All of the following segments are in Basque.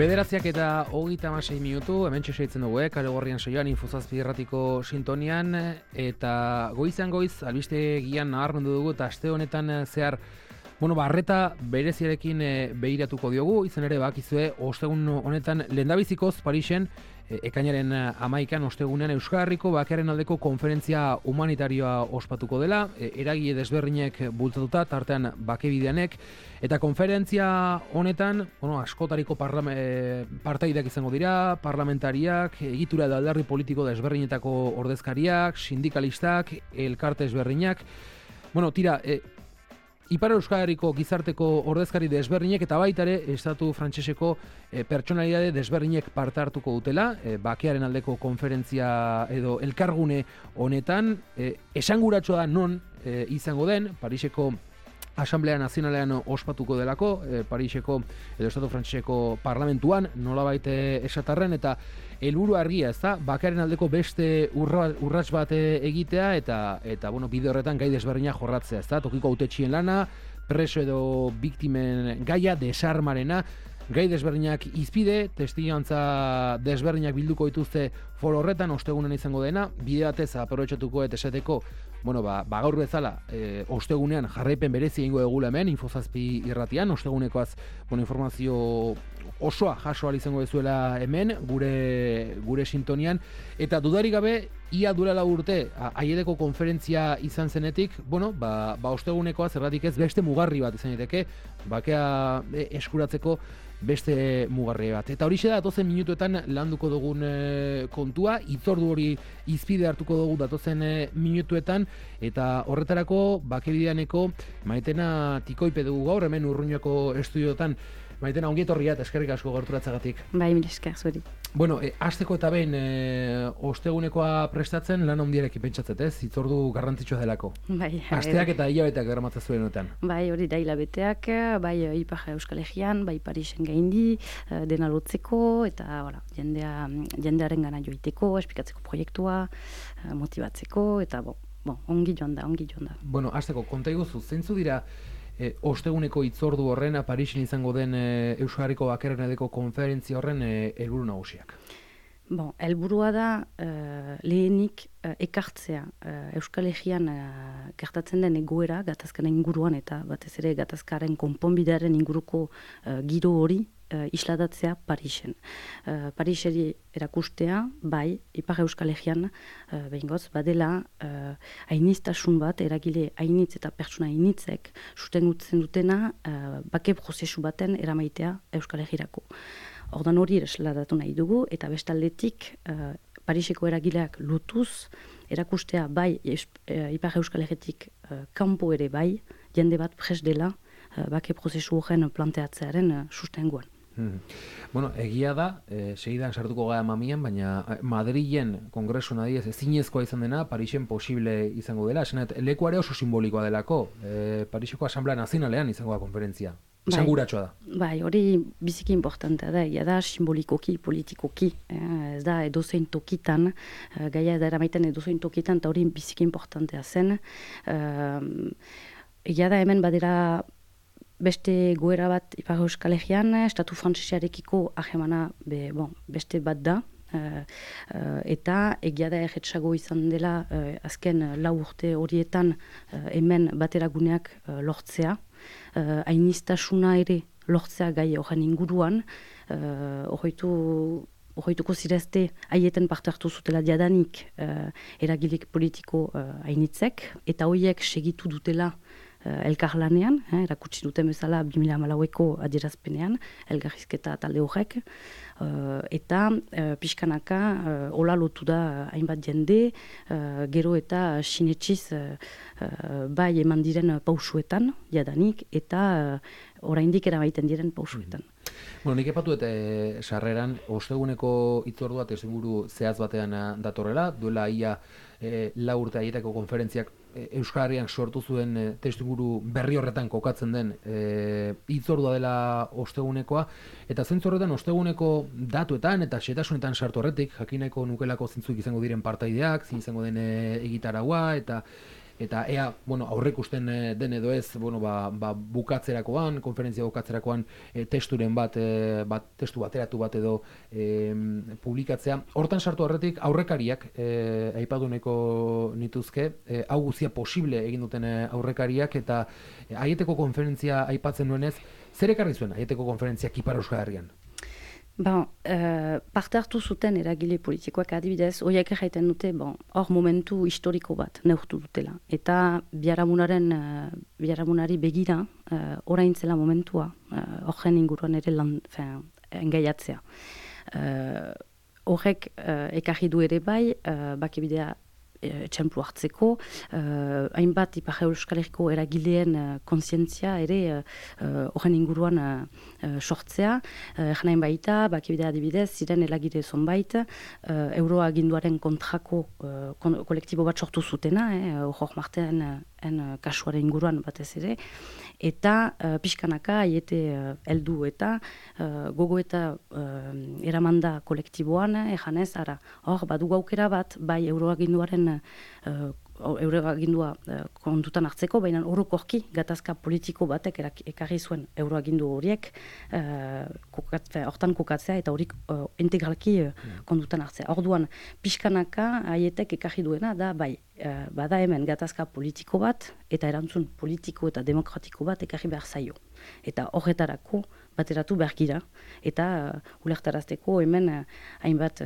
Bederatziak eta 36 minutu, hemen txeseitzen dugu, Kale Gorrian saioan Infozazpi irratiko sintonian, eta goizan goiz, albiste gian nabarmendu dugu, eta aste honetan zehar, arreta bereziarekin behiratuko diogu, izan ere bakizue, ostegun honetan lehendabizikoz Parisen, ekainaren 11an ostegunean Euskal Herriko bakearen aldeko konferentzia humanitarioa ospatuko dela, eragile desberdinek bultzatuta, tartean bakebideanek, eta konferentzia honetan, askotariko partaideak izango dira, parlamentariak, egitura eta alderdi politiko desberdinetako ordezkariak, sindikalistak, elkarte desberdinak, Ipar Euskal Herriko gizarteko ordezkari desberdinek eta baita ere estatu frantseseko pertsonalitate desberdinek parte hartuko dutela, bakearen aldeko konferentzia edo elkargune honetan, esanguratsua da non izango den, Pariseko Asamblea Nazionalean ospatuko delako, Pariseko edo estatu frantseseko parlamentuan, nolabait esatarren, eta helburu argia, ezta? Bakearen aldeko beste urrats bat egitea eta bide horretan gai desberdinak jorratzea, ezta? Tokiko hautetxien lana, preso edo biktimen gaia, desarmarena, gai desberdinak izpide, testigantza desberdinak bilduko dituzte foro horretan, ostegunen izango dena, bide batez aprobetxatuko eta esateko, gaur bezala, ostegunean jarraipen berezi egingo egula hemen, Infozazpi irratian, ostegunekoaz, informazio osoa jaso ahal izango dezuela hemen, gure sintonian, eta dudarik gabe, ia duela urte, aiedeko konferentzia izan zenetik, ostegunekoaz, erratik ez, beste mugarri bat izan daiteke, bakea eskuratzeko beste mugarri bat. Eta horixe da, datozen minutuetan landuko dugun kontua, hitzordu hori izpide hartuko dugu datozen minutuetan, eta horretarako bakebideaneko Maitena Tikoipe dugu gaur, hemen Urruñako estudiotan. Maitena, ongi etorria eta eskerrik asko gerturatzagatik. Bai, mire esker, zuri. Hasteko eta behin ostegunekoa prestatzen lan handiarekin pentsatzet, ez? Hitzordu garrantzitsua delako. Bai. Asteak eta hilabeteak daramatzen zuen honetan. Bai, hori da hilabeteak, bai Ipar Euskal Herrian, bai Parisen gaindi, dena lotzeko, eta jendearen gana joiteko, esplikatzeko proiektua, motibatzeko, eta ongi joan da. Hasteko, konta iguzu, zeintzu dira osteguneko hitzordu horren, Parisen izango den Euskal Herriko bakearen aldeko konferentzia horren helburu nagusiak? Helburua da lehenik ekartzea Euskal Herrian gertatzen den egoera gatazkaren inguruan eta batez ere gatazkaren konponbidearen inguruko giro hori isladatzea Parisen. Pariseri erakustea, bai, Ipar Euskal Herrian behingoz, badela ainiztasun bat, eragile ainitz eta pertsona ainitzek sustengutzen dutena bake prozesu baten eramaitea Euskal Herrirako. Ordan hori esladatu nahi dugu, eta bestaldetik Pariseko eragileak lotuz, erakustea bai Ipar Euskal Herritik kanpo ere bai, jende bat pres dela bake prozesu horren planteatzearen sustenguan. Egia da, segidan sartuko gara mamian, baina Madrilen kongresu nadiez ezinezkoa izan dena, Parisen posible izango dela, esanet, lekuare oso simbolikoa delako, Pariseko Asamblea Nazionalean izango da konferentzia. Esanguratsua da. Bai, hori biziki importantea da, egia da simbolikoki, politikoki, ez da edozein tokitan, gaia da eramaiten edozein tokitan, eta hori biziki importantea zen. Egia da hemen badera beste goera bat Ipar Euskal Herrian, estatu frantsesarekiko ahemana beste bat da, eta egia da erretsago izan dela azken 4 urte horietan hemen bateraguneak lortzea, ainiztasuna ere lortzea gai horren inguruan, horreituko zirezte haieten parte hartu zutela diadanik eragileek politiko ainitzek, eta horiek segitu dutela elkarlanean, erakutsi duten bezala 2014ko adierazpenean, elgarrizketa talde horrek, eta pixkanaka hola lotu da hainbat jende, gero eta sinetsiz bai eman diren pausuetan, jadanik, eta oraindik eramaiten diren pausuetan. Nik epatu eta sarreran, osteguneko hitzordua testuinguru zehaz batean datorrela, duela ia 4 urte haietako konferentziak Euskal Herrian sortu zuen testuinguru berri horretan kokatzen den hitzordua dela ostegunekoa, eta zentzu horretan osteguneko datuetan eta xetasunetan sartu horretik, jakineko nukelako zintzuk izango diren partaideak, zin izango den egitaragua, eta eta ea, aurreikusten den edo ez, bukatzerakoan, konferentzia bukatzerakoan testuren testu bateratu bat edo publikatzea. Hortan sartu horretik aurrekariak aipatu nahiko nituzke, hau guztia posible egin duten aurrekariak, eta Aieteko konferentzia aipatzen nuenez, zer ekarri zuen Aieteko konferentziak Ipar Euskal Herrian? Parte hartu zuten eragile politikoak adibidez, horiek jaiten dute, hor momentu historiko bat neurtu dutela. Eta biharamunari begira, orain zela momentua, horren inguruan ere engaiatzea. Horrek ekarri du ere bai, bakibidea etxemplu hartzeko, hainbat Ipar Euskal Herriko eragileen kontzientzia ere horren inguruan sortzea. Janain baita, bakibidea adibidez, ziren eragile zonbait, euroaginduaren kontrako kolektibo bat sortu zutena, hor martean kasuaren inguruan batez ere, eta pixkanaka Aiete heldu eta gogo eta eramanda kolektiboan, janez, hor badugu aukera bat, bai euroaginduaren euroagindua kontutan hartzeko, baina orokorki gatazka politiko batek ekarri zuen euroagindu horiek hortan kokatzea eta horik integralki kontutan hartzea. Orduan, pixkanaka Aietek ekarri duena da, bai, bada hemen gatazka politiko bat eta erantzun politiko eta demokratiko bat ekarri behar zaio. Eta horretarako bateratu behar gira, eta ulertarazteko hemen hainbat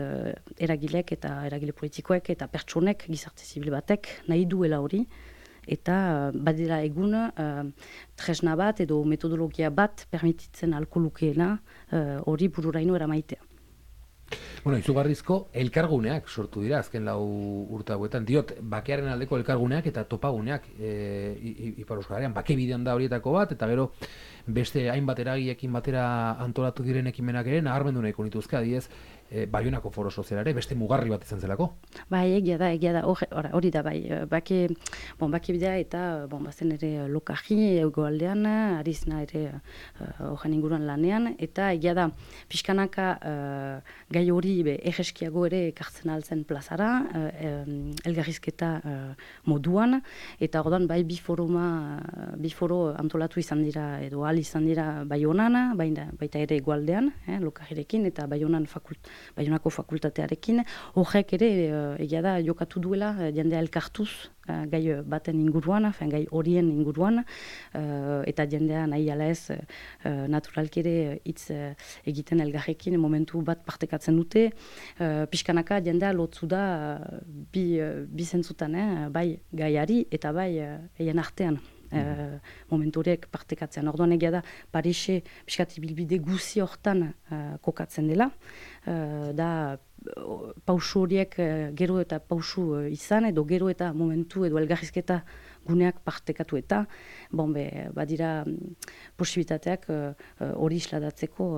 eragilek eta eragile politikoek eta pertsonek, gizarte zibil batek, nahi duela hori, eta badela egun tresna bat edo metodologia bat permititzen alko lukeena hori bururaino eramaitea. Izugarrizko elkarguneak sortu dira azken 4 urte hauetan. Diot, bakearen aldeko elkarguneak eta topaguneak Ipar Euskal Herrian. Bake bidean da horietako bat, eta gero beste hainbat eragileekin batera antolatu diren ekimenak ere nabarmendu nahiko nituzke, adibidez, Baionako Foro Sozialare beste mugarri bat izan zelako. Bai, egia da, hori da, bai, bake bidea eta bazen ere Lokarri egoaldean, Arizna ere horren inguruan lanean, eta egia da, pixkanaka gai hori egeskiago ere ekartzen altzen plazara, elgarrizketa moduan, eta orduan bai bi foro antolatu izan dira, edo izan dira Baionan, baita ere egoaldean, Lokarrirekin, eta Baionako fakultatearekin, horrek ere egia da jokatu duela jendea elkartuz gai baten inguruan, gai horien inguruan, eta jendea nahi ala ez naturalki ere hitz egiten elgarrekin momentu bat partekatzen dute, pixkanaka jendea lotzu da bi zentzutan, bai gaiari eta bai eien artean. Momentu horiek partekatzen. Orduan egia da, Parise piskat ibilbide guzi hortan kokatzen dela. Da, pausu horiek gero eta pausu izan, edo gero eta momentu edo elgarrizketa guneak partekatu eta, badira posibilitateak hori isladatzeko,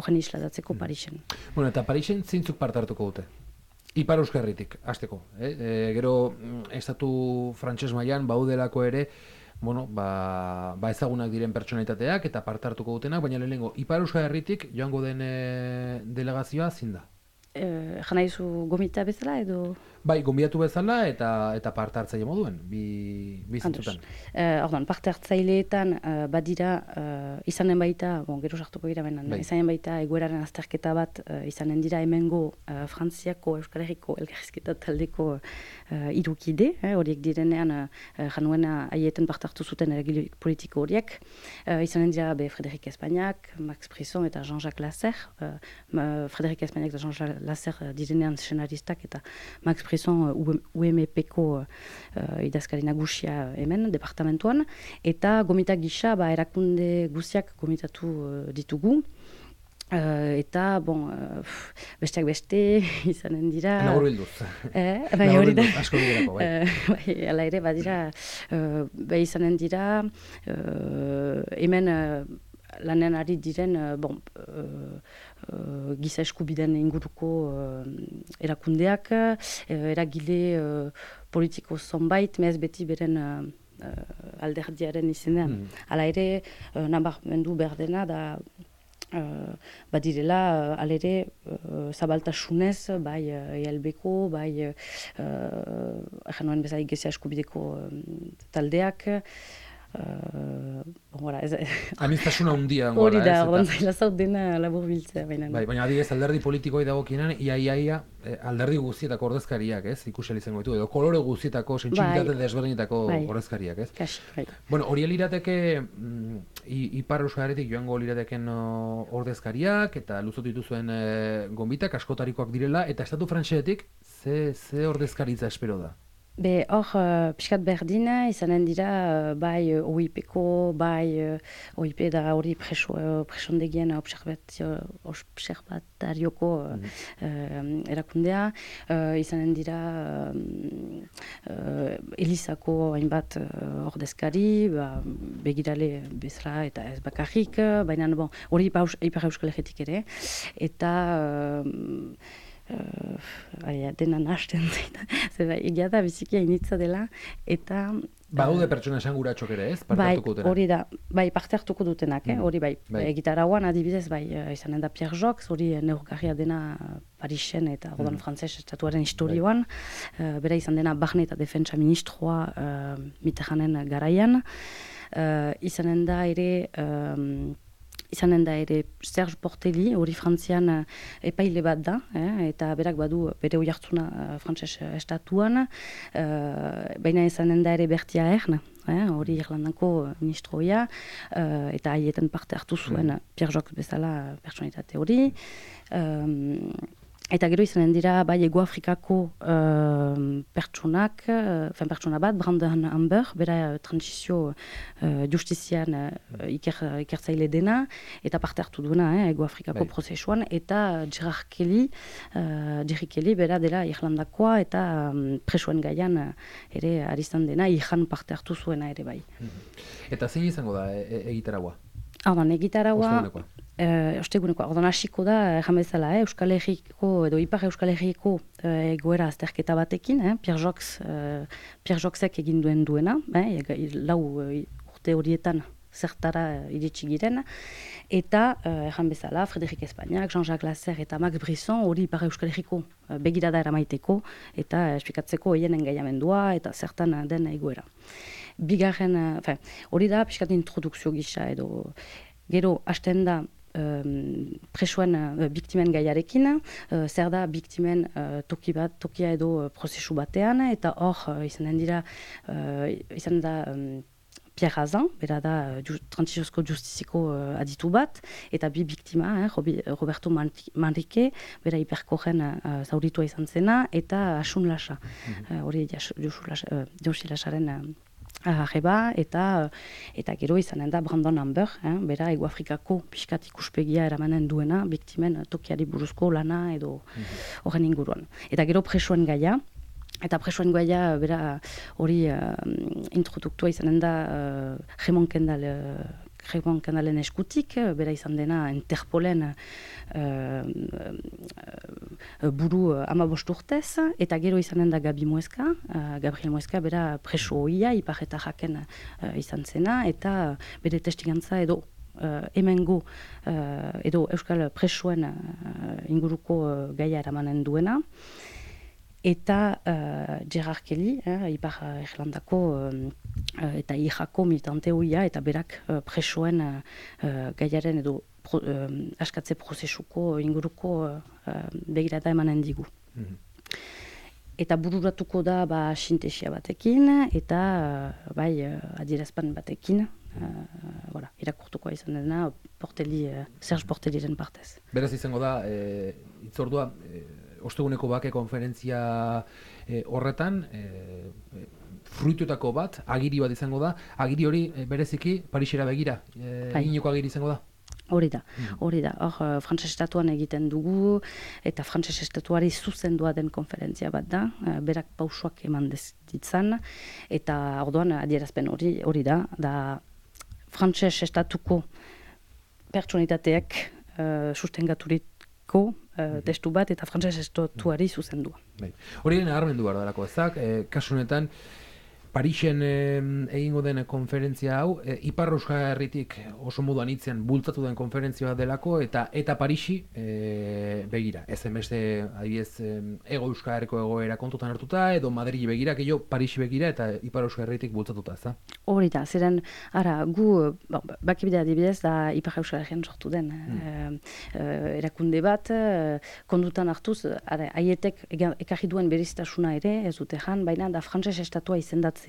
horren isladatzeko Parisen. Eta Parisen zeintzuk parte hartuko dute? Ipar Euskal Herritik, hasteko. Gero, estatu frantses mailan baudelako ere, ezagunak diren pertsonalitateak eta parte hartuko dutenak, baina lehenengo, Ipar Euskal Herritik joango den delegazioa zein da? Jana izu gomita bezala edo? Bai, gonbidatu bezala eta parte hartzaile moduen, bi zentzutan. Orduan, parte hartzaileetan badira izanen baita, gero sartuko gira benen, izanen baita egoeraren azterketa bat izanen dira hemengo Frantziako Euskal Herriko elgarrizketa taldeko irukide, horiek direnean januena Aieten parte hartu zuten eragile politiko horiek, izanen dira Frédéric Espagnac, Max Brisson eta Jean-Jacques Lasserre, Frédéric Espagnac eta Jean-Jacques Lasserre direnean scenaristak eta Max Brisson UMP-ko idazkari nagusia hemen, departamentuan, eta gomita gisa erakunde guziak gomitatu ditugu. Eta, besteak beste izanen dira... Naguru bilduz. Hori da. Asko biderako, bai. Hala ere, badira, izanen dira, hemen lanean ari diren, giza eskubideen inguruko erakundeak, eragile politiko zonbait, mez beti beren alderdiaren izenean. Hala ere, nabarmendu behar dena da badirela alere zabaltasunez, bai ELB-ko, bai nuen bezala Iglesia Eskubideko taldeak, Aniztasuna handia hori da, ordan zaila zaut dena labur biltzea. Baina adibidez alderdi politikoei dagokienean ia alderdi guztietako ordezkariak, ez? Ikusi izango ditu edo kolore guztietako sentsibilitate desberdinetako ordezkariak, ez? Kasi, Bueno, hori lirateke Ipar Euskal Herritik joango lirateken ordezkariak eta luzatu dituzuen gonbitak askotarikoak direla eta estatu frantsesetik ze ordezkaritza espero da? Be, hor, pixkat berdina, izanen dira, bai OIP-ko, bai OIP da hori presondegien observatarioko erakundea, izanen dira Elizako hainbat ordezkari, begirale bezala eta ez bakarrik, baina hori Ipar Euskal Herritik ere, eta dena nahasten zaita, egia da biziki hainitza dela, eta... Badaude pertsona esanguratxok ere, ez? Parte hartuko dutenak? Hori da, parte hartuko dutenak, hori bai. Egitarauan adibidez, izanen da Pierre Jox, hori neurgarria dena Parisen eta Rodan Frantzes estatuaren historioan, bera izan dena Barne eta Defentsa ministroa Mitterranden garaian, izanen da ere Serge Portelli, hori Frantzian epaile bat da, eta berak badu bere oihartzuna frantses estatuan, baina izanen da ere Bertia Ern, hori Irlandako ministroia, eta haietan parte hartu zuen Pierre Jox bezala pertsonitate hori. Eta gero izanen dira, bai Ego Afrikako pertsona bat, Brandon Amber, bera transizio justizian ikertzaile dena, eta parte hartu duena Ego Afrikako prozesuan, eta Jerry Kelly, bera dela Irlandakoa, eta presoen gaian ere arizan dena, ihan parte hartu zuena ere bai. Eta zein izango da egitaragua? Egitaragua... Ostegunekoa, ordan hasiko da, jamezala, Euskal Herriko edo Ipar Euskal Herriko egoera azterketa batekin, Pierre Joxek egin duena, lau urte horietan zertara iritsi giren, eta jamezala, Frédéric Espagnac, Jean-Jacques Lasserre eta Max Brisson hori Ipar Euskal Herriko begirada eramaiteko eta esplikatzeko hienen engaiamendua eta zertan den egoera. Bigarren, hori da, pixkat introdukzio gisa edo gero hasten da presoen biktimen gaiarekin, zer da biktimen tokia edo prozesu batean, eta hor izan da Pierre Hazan, bera da transiziozko justiziko aditu bat, eta bi biktima, Roberto Manrique, bera hiperkoren zauritua izan zena, eta Asun Lasa, hori Josi Lasaren arreba, eta gero izanen da Brandon Amber, bera Ego Afrikako pixkat ikuspegia eramanen duena, biktimen tokiari buruzko lana edo horren inguruan. Eta gero presoen gaia, bera hori introduktua izanen da Raymond Kendalen eskutik, bera izan dena Interpolen buru 15 urtez, eta gero izanen da Gabriel Mueska, bera preso hoia, Ipar eta Jaken izan zena, eta bere testigantza edo hemengo edo Euskal presoen inguruko gaia eramanen duena. Eta Gerard Kelly, Ipar Irlandako eta Ijako militante hoia, eta berak presoen gaiaren edo askatze prozesuko inguruko begirada emanen digu. Eta bururatuko da sintesia batekin, eta adierazpan batekin, irakurtuko izan dena Serge Portelliren partez. Beraz izango da, itzordua, osteguneko bake konferentzia horretan, fruituetako bat, agiri bat izango da, agiri hori bereziki Parisera begira, egineko agiri izango da? Hori da. Hor, Frantses estatuan egiten dugu, eta Frantses estatuari zuzendua den konferentzia bat da, berak pausoak eman ditzan, eta orduan adierazpen hori da Frantses estatuko pertsonitateak sustengaturiko testu bat, eta Frantses estatuari zuzendua. Hori nabarmendu behar darako ezak, kasu honetan, Parisen egingo den konferentzia hau, Ipar Euskal Herritik oso modu anitzean bultzatu den konferentzia delako, eta Parisi begira. Ez beste adibidez Hego Euskal Herriko egoera kontutan hartuta, edo Madrili begira, gehiago Parisi begira eta Ipar Euskal Herritik bultzatuta, ez da? Hori da, ziren, gu, bakibidea adibidez, da Ipar Euskal Herrian sortu den erakunde bat, kondutan hartuz, haietek ekarri duen beriztasuna ere, ez dute jan, baina da frantses estatua izendatzea.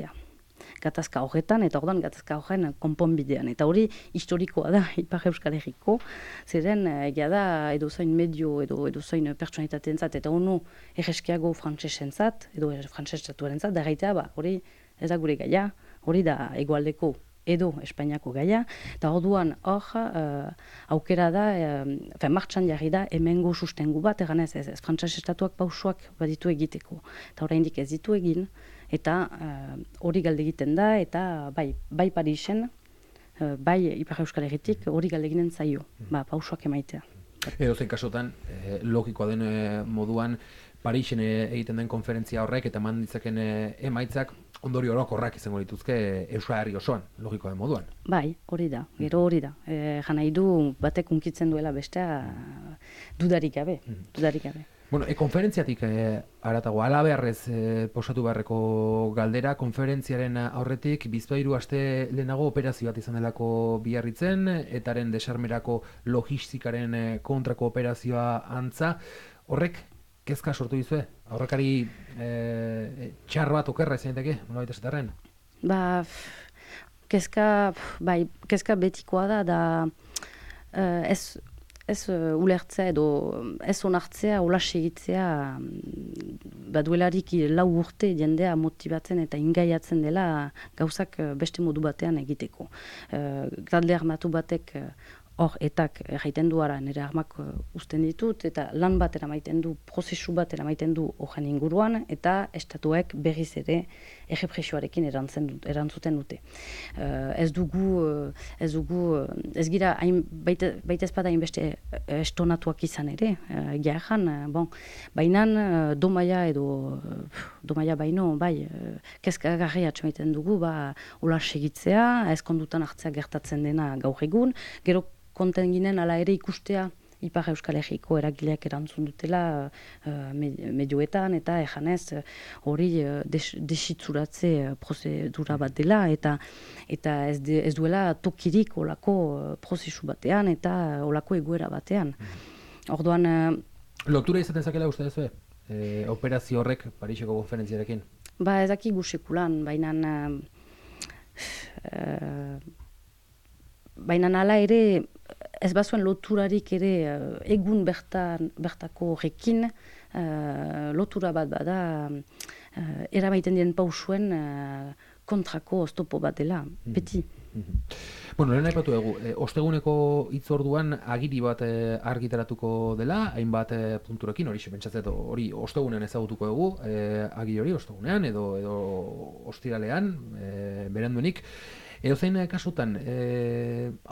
Gatazka horretan, eta ordan gatazka horren konponbidean. Eta hori historikoa da Ipar Euskal Herriko, ziren egia da edozain medio edo edozain pertsonalitateentzat eta onu erreskiago frantsesentzat edo frantses estatuarentzat, da gaitea, hori ez da gure gaia, hori da hegoaldeko edo Espainiako gaia, eta orduan hor aukera da, martxan jarri da hemengo sustengu bat, eganez ez frantses estatuak pausoak baditu egiteko. Eta oraindik ez ditu egin, eta hori galde egiten da, eta bai Parisen, bai Ipar Euskal Herritik hori galde egiten zaio, pausoak emaitea. Edozein kasotan, logikoa den moduan, Parisen egiten den konferentzia horrek eta eman ditzaken emaitzak ondorio orokorrak izango dituzke Euskal Herri osoan, logikoa den moduan. Bai, hori da, gero hori da. Jan nahi du batek unkitzen duela bestea dudarik gabe. Bueno, konferentziatik haratago, halabeharrez posatu beharreko galdera, konferentziaren aurretik bizpahiru aste lehenago operazio bat izan delako Biarritzen, etaren desarmerako logistikaren kontrako operazioa antza. Horrek, kezka sortu dizue? Aurrekari txar bat okerra izan daiteke, nolabait esaterren? Kezka betikoa da ez ulertzea edo ez onartzea, hola segitzea, baduelarik 4 urte jendea motibatzen eta ingaiatzen dela gauzak beste modu batean egiteko. Talde armatu batek hor etak erraiten du ara, nire armak usten ditut, eta lan bat eramaiten du, prozesu bat eramaiten du horren inguruan, eta estatuek berriz ere errepresioarekin erantzuten dute. Ez gira, baita ezpada hainbeste estonatuak izan ere, baina domaia baino, kezkagarri atxamaiten dugu, hola segitzea, ez kondutan hartzea gertatzen dena gaur egun, gero konten ginen ala ere ikustea Ipar Euskal Herriko eragileak erantzun dutela medioetan eta ejanez hori desitzuratze prozedura bat dela eta ez duela tokirik olako prozesu batean eta olako egoera batean. Orduan... Lotura izaten zakela uste duzu, operazio horrek Pariseko konferentziarekin? Ez dakigu sekulan, baina hala ere ez bazuen loturarik ere egun bertako horrekin lotura bat bada eramaiten diren pausuen kontrako oztopo bat dela, beti. Bueno, lehen aipatu dugu, osteguneko hitzorduan agiri bat argitaratuko dela, hainbat punturekin, hori pentsatzen hori ostegunean ezagutuko dugu, agiri hori ostegunean edo ostiralean, beranduenik. Edozein kasutan,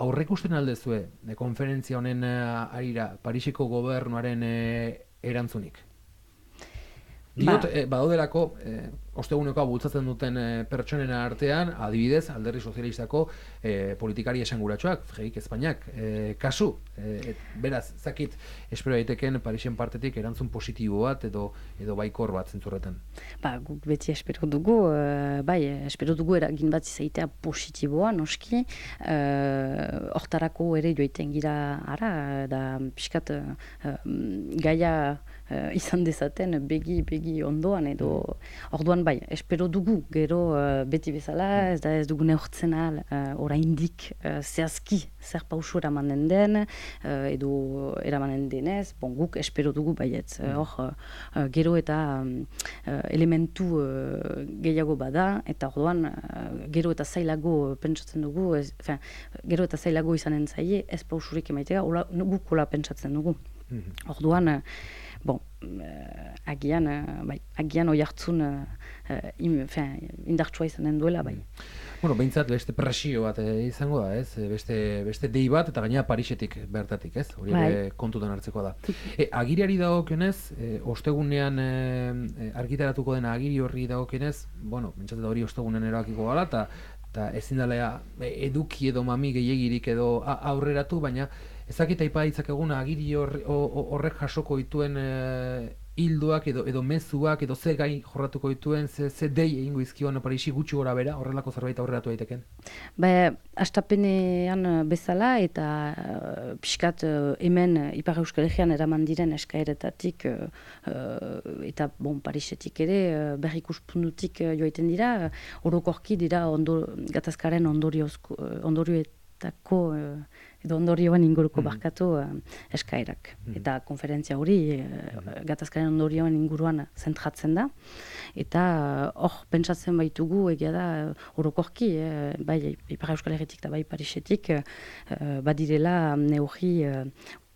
aurreikusten aldezue konferentzia honen arira Pariseko gobernuaren erantzunik? Diot, badaudelako, ostegunekoa bultzatzen duten pertsonen artean, adibidez, Alderdi Sozialistako politikari esanguratsuak, Freixik Espainiak, kasu. Beraz, zakit, espero daiteken Parisen partetik erantzun positibo bat edo baikor bat zentzurretan. Guk beti espero dugu, espero dugu eragin bat izaitea positiboa, noski, hortarako ere joiten gira ara, da pixkat gaia izan dezaten begi ondoan edo orduan espero dugu gero beti bezala ez dugu neurtzen ahal oraindik zehazki zer pausu eramanen den edo eramanen denez, guk espero dugu baietz gero eta elementu gehiago bada eta orduan gero eta zailago pentsatzen dugu gero eta zailago izanen zaie ez pausurik emaitea guk hola pentsatzen dugu. Orduan, bon, agian oi hartzun indartsua izanen duela, bai. Bueno, behintzat beste presio bat izango da, ez? Beste dei bat, eta gaina Parisetik bertatik, ez? Hori ere kontutan hartzekoa da. Agiriari dagokionez, ostegunean argitaratuko dena agiri horri dagokionez, bueno, pentsatzen da hori ostegunean erabakiko gala, eta ezin dela eduki edo mami gehiagirik edo aurreratu, baina ezakita aipa ditzakeguna agiri horrek jasoko dituen hildoak edo mezuak edo ze gai jorratuko dituen, ze dei egingo izkion Parisi gutxi gora bera, horrelako zerbait aurreratu daiteken? Astapenean bezala eta pixkat hemen Ipar Euskal Herrian eraman diren eskaeretatik eta Parisetik ere berrikuspuntutik joaiten dira, orokorki dira gatazkaren ondorioetako edo ondorioan inguruko barkatu eskaerak. Eta konferentzia hori gatazkaren ondorioan inguruan zentratzen da. Eta hor pentsatzen baitugu egia da orokorki, bai Ipar Euskal Herritik eta bai Parisetik badirela neurri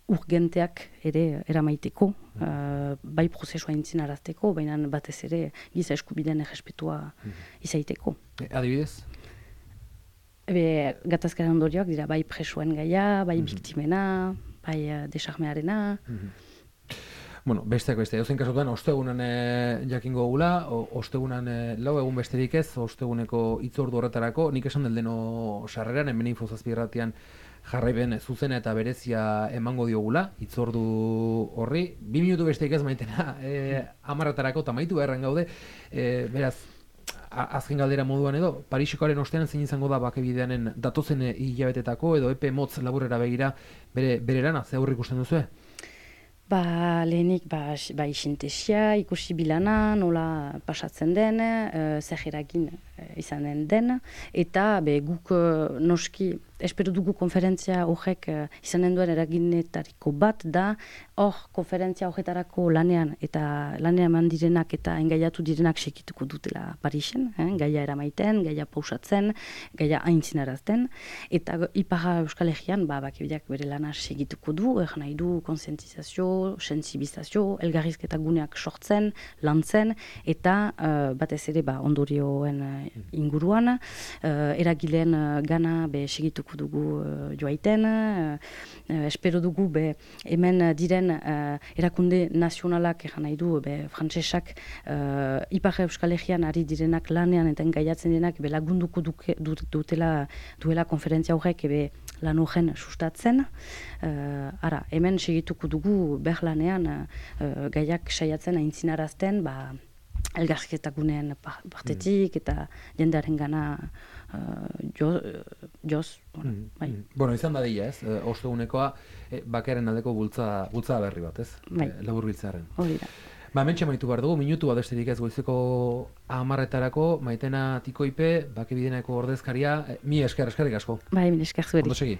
urgenteak ere eramaiteko, bai prozesua aintzinarazteko, baina batez ere giza eskubideen errespetua izaiteko. Adibidez? Gatazkaren ondorioak dira bai presoen gaia, bai biktimena, bai desarmearena. Bueno, besteak beste, eusen kasutan, ostegunan jakingo gula, ostegunan lau egun besterik ez, osteguneko itzordu horretarako, nik esan deldeno sarreran, hemen infozazpirratian jarraiben zuzena eta berezia emango diogula, itzordu horri, 2 minutu besterik ez maitena, 10 eta maitu beharren gaude, beraz, azken galdera moduan edo, Parisekoaren ostean zein izango da bakebideanen datozen hilabetetako edo epe motz laburrera begira bere lana, ze aurre ikusten duzu? Lehenik, isintesia, ikusi bilana, nola pasatzen den, zer eragin izanen den, eta guk noski, espero dugu konferentzia horrek izanen duen eraginetariko bat da, hor konferentzia horretarako lanean eta lanean eman direnak eta engaiatu direnak sekituko dutela Parisen, gaia eramaiten, gaia pausatzen, gaia aintzinarazten, eta Ipar Euskal Herrian bakebideak bere lana segituko du, nahi du konsientizazio, sensibilizazio, elgarrizketa guneak sortzen, lantzen, eta batez ere ondorioen inguruan, eragileen gana segituko dugu joaiten, espero dugu hemen diren erakunde nazionalak nahi du frantsesak Ipar Euskal Herrian ari direnak lanean eta engaiatzen denak lagunduko duela konferentzia horrek lan horren sustatzen. Hemen segituko dugu lanean gaiak saiatzen aintzinarazten elgarrizketa guneen partetik eta jendearen gana joz. Bueno, izan dadila ez, ostegunekoa bakearen aldeko bultza berri bat ez, labur biltzearen. Hori da. Mentxe maitu behar dugu, minutu bat besterik ez goizeko 10etarako, Maitena Tikoipe, bakebideneko ordezkaria, mi eskerrik asko. Mi esker zueri. Ondo segi.